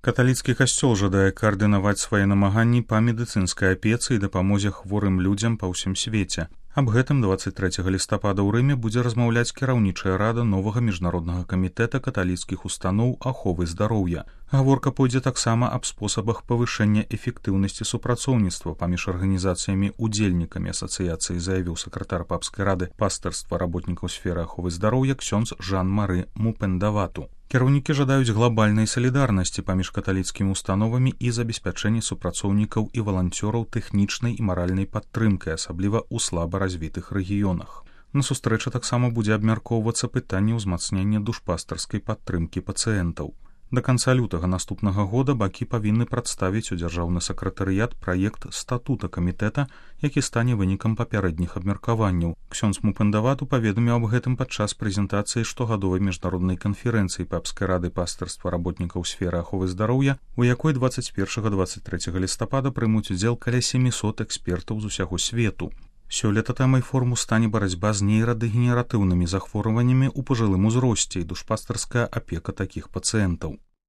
Каталіцкі касцёл жадае каардынаваць свае намаганні па медыцынскай апецы і дапамозе хворым людзям па ўсім свеце. Аб гэтым 23 лістапада ў Рыме будзе размаўляць кіраўнічая рада новага міжнароднага камітэта каталіцкіх устаноў аховы здароўя. Гаворка пойдзе таксама аб спосабах павышэння эфектыўнасці супрацоўніцтва паміж арганізацыямі-удзельнікамі асацыяцыі, заявіў сакратар папскай рады пастырства работнікаў сферы аховы здароўя ксёндз Жан-Мары Мупендавату. Кіраўнікі жадаюць глабальнай салідарнасці паміж каталіцкімі установамі і забеспячэння супрацоўнікаў і валанцёраў тэхнічнай і маральнай падтрымкай, асабліва ў слаба развітых рэгіёнах. На сустрэчы таксама будзе абмяркоўвацца пытанне ўзмацнення душпастарскай падтрымкі пацыентаў. Да канца лютага наступнага года бакі павінны прадставіць у дзяржаўны сакратарыят праект статута камітэта, які стане вынікам папярэдніх абмеркаванняў. Ксёндз Мупендавату паведаміў аб гэтым падчас прэзентацыі штогадовай міжнароднай канферэнцыі папскай рады пастырства работнікаў сферы аховы здароўя, у якой 21-23 лістапада прымуць удзел каля 700 экспертаў з усяго свету. Сёлета тэмай форуму стане барацьба з нейрадэгенератыўнымі захворваннямі ў пажылым узросце і душпастарская апека такіх пацыентаў.